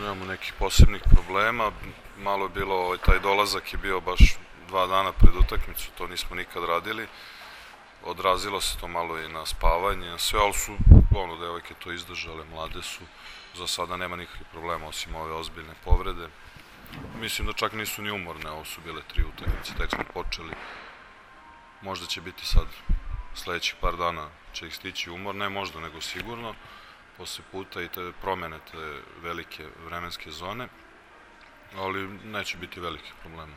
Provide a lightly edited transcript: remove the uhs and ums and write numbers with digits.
Nemamo nekih posebnih problema, malo je bilo, taj dolazak je bio baš 2 dana pred utakmicu, to nismo nikad radili, odrazilo se to malo i na spavanje, na sve, ali su, devojke to izdržale, mlade su, za sada nema nikakvih problema osim ove ozbiljne povrede. Mislim da čak nisu ni umorne, ovo su bile 3 utakmice, tek smo počeli, možda će biti sad, sledećih par dana će ih stići umor, ne možda nego sigurno, posle puta i te promene, te velike vremenske zone, ali neće biti velikih problema.